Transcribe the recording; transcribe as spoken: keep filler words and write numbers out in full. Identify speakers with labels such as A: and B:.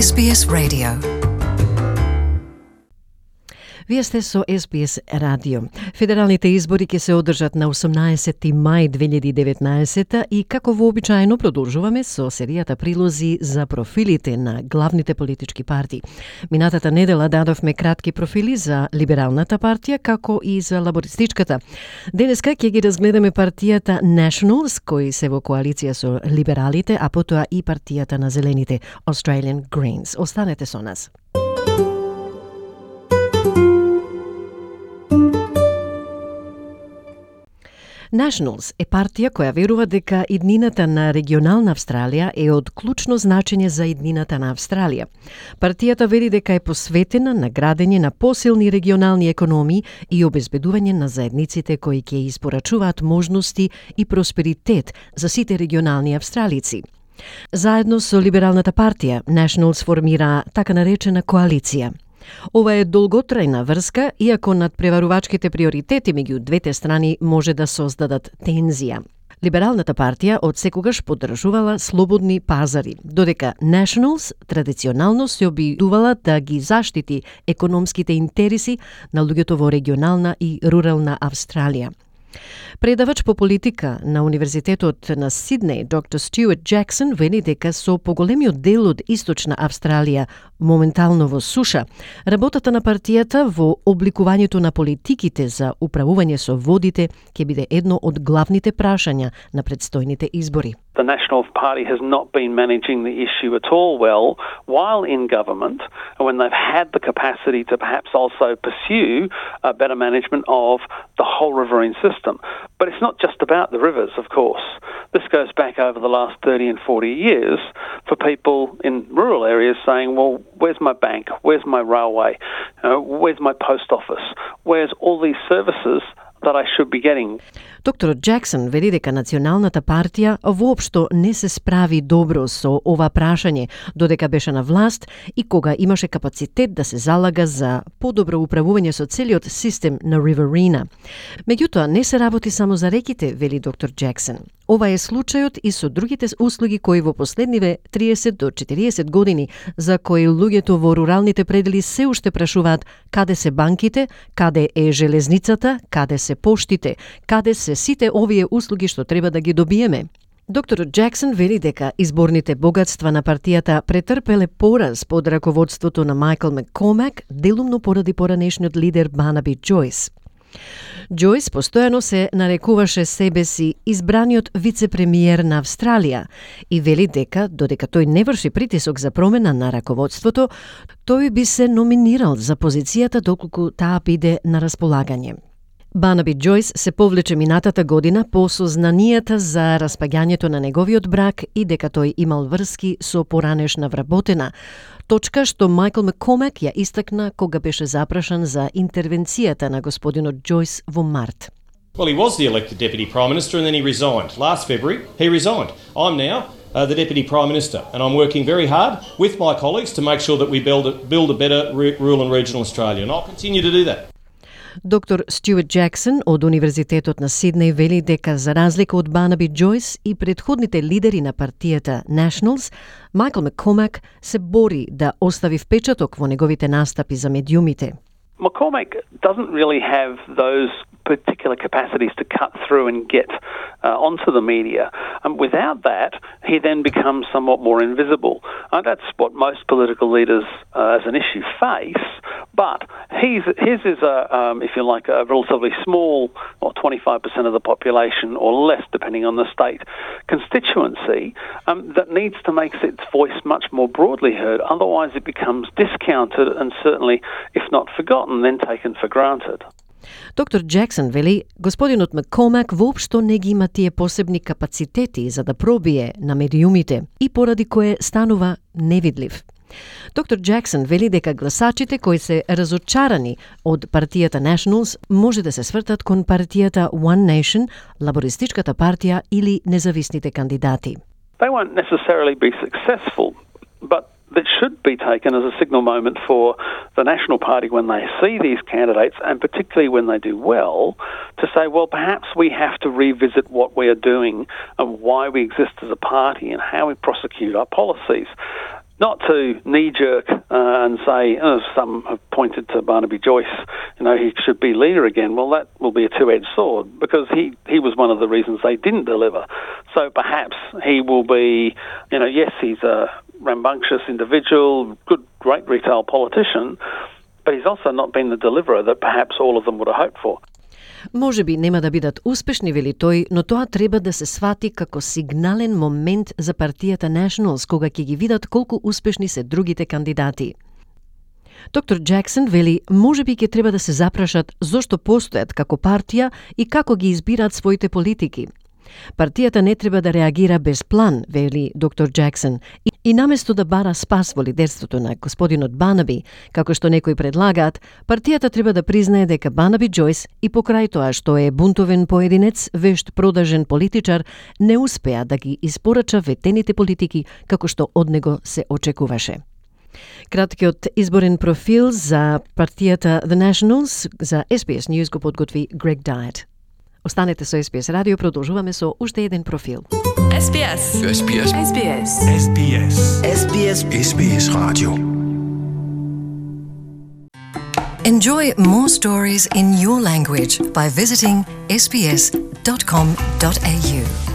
A: Ес Би Ес Radio. Вие сте со Ес Би Ес радио. Федералните избори ќе се одржат на осумнаесети мај две илјади и деветнаесета и како вообичаено продолжуваме со серијата прилози за профилите на главните политички партии. Минатата недела дадовме кратки профили за Либералната партија како и за Лабористичката. Денеска ќе ги разгледаме партијата Nationals, кои се во коалиција со либералите, а потоа и партијата на зелените Australian Greens. Останете со нас. Nationals е партија која верува дека иднината на регионална Австралија е од клучно значење за иднината на Австралија. Партијата вери дека е посветена на градење на посилни регионални економии и обезбедување на заедниците кои ќе испорачуваат можности и просперитет за сите регионални австралици. Заедно со Либералната партија, Nationals формира така наречена коалиција. Ова е долготрајна врска, иако надпреварувачките приоритети меѓу двете страни може да создадат тензија. Либералната партија од секогаш поддржувала слободни пазари, додека Nationals традиционално се обидувала да ги заштити економските интереси на луѓето во регионална и рурална Австралија. Предавач по политика на Универзитетот на Сиднеј, доктор Стюарт Џаксон, вели дека со поголемиот дел од Источна Австралија моментално во суша, работата на партијата во обликувањето на политиките за управување со водите ќе биде едно од главните прашања на предстојните избори.
B: The National Party has not been managing the issue at all well while in government, and when they've had the capacity to perhaps also pursue a better management of the whole riverine system. But it's not just about the rivers, of course. This goes back over the last thirty and forty years for people in rural areas saying, well, where's my bank? Where's my railway? Uh, where's my post office? Where's all these services that I should be getting?
A: Доктор Џаксон вели дека Националната партија воопшто не се справи добро со ова прашање додека беше на власт и кога имаше капацитет да се залага за подобро управување со целиот систем на Riverina. Меѓутоа, не се работи само за реките, вели доктор Џаксон. Ова е случајот и со другите услуги кои во последниве триесет до четириесет години за кои луѓето во руралните предели се уште прашуваат каде се банките, каде е железницата, каде се поштите, каде се сите овие услуги што треба да ги добиеме. Докторот Џаксон вели дека изборните богатства на партијата претрпеле пораз под раководството на Майкл Маккормак, делумно поради поранешниот лидер Барнаби Џојс. Џојс постојано се нарекуваше себе си избраниот вице-премиер на Австралија и вели дека, додека тој не врши притисок за промена на раководството, тој би се номинирал за позицијата доколку таа биде на располагање. Барнаби Џојс се повлече минатата година по сознанијата за распаѓањето на неговиот брак и дека тој имал врски со поранешна вработена, точка што Майкл Маккормак ја истакна кога беше запрашан за интервенцијата на господинот Џојс во март.
C: Well, he was the elected Deputy Prime Minister and then he resigned. Last February, he resigned. I'm now uh, the Deputy Prime Minister and I'm working very hard with my colleagues to make sure that we build a, build a better re- rural and regional Australia, and I'll continue to do that.
A: Доктор Стюарт Џаксон од Универзитетот на Сиднеј вели дека за разлика од Барнаби Џојс и предходните лидери на партијата Nationals, Майкл Маккормак се бори да остави впечаток во неговите настапи за медиумите.
B: McCormack doesn't really have those particular capacities to cut through and get uh, onto the media. And without that, he then becomes somewhat more invisible. Uh, that's what most political leaders uh, as an issue face, but he's, his is, a, um, if you like, a relatively small, or twenty-five percent of the population, or less, depending on the state, constituency um, that needs to make its voice much more broadly heard. Otherwise, it becomes discounted and certainly, if not forgotten, then taken for granted.
A: Доктор Џаксон вели, господинот Маккормак воопшто не ги има тие посебни капацитети за да пробие на медиумите и поради кое станува невидлив. Доктор Џаксон вели дека гласачите кои се разочарани од партијата Nationals може да се свртат кон партијата One Nation, Лабористичката партија или независните кандидати.
B: They won't necessarily be successful, but that should be taken as a signal moment for the National Party when they see these candidates, and particularly when they do well, to say, well, perhaps we have to revisit what we are doing and why we exist as a party and how we prosecute our policies. not to knee-jerk uh, and say, oh, some have pointed to Barnaby Joyce, you know, he should be leader again. Well, that will be a two-edged sword because he, he was one of the reasons they didn't deliver. So perhaps he will be, you know, yes, he's a rambunctious individual, good, great retail politician, but he's also not been the deliverer that perhaps all of them would have hoped for.
A: Може би нема да бидат успешни, вели тој, но тоа треба да се свати како сигнален момент за партијата Nationals, кога ќе ги видат колку успешни се другите кандидати. Доктор Джексон вели, може би ќе треба да се запрашат зошто постојат како партија и како ги избираат своите политики. Партијата не треба да реагира без план, вели доктор Джексон, и, и наместо да бара спас во лидерството на господинот Барнаби, како што некои предлагаат, партијата треба да признае дека Барнаби Джойс и покрај тоа што е бунтовен поединец, вешт продажен политичар, не успеа да ги испорача ветените политики како што од него се очекуваше. Краткиот изборен профил за партијата The Nationals за Ес Би Ес News го подготви Грег Дайет. Останете со Ес Би Ес Радио, продолжуваме со уште еден профил.
D: Ес Би Ес.
E: Ес Би Ес.
D: Ес Би Ес.
E: Ес Би Ес.
D: Ес Би Ес.
E: Ес Би Ес Radio.
D: Enjoy more stories in your language by visiting s b s dot com dot a u.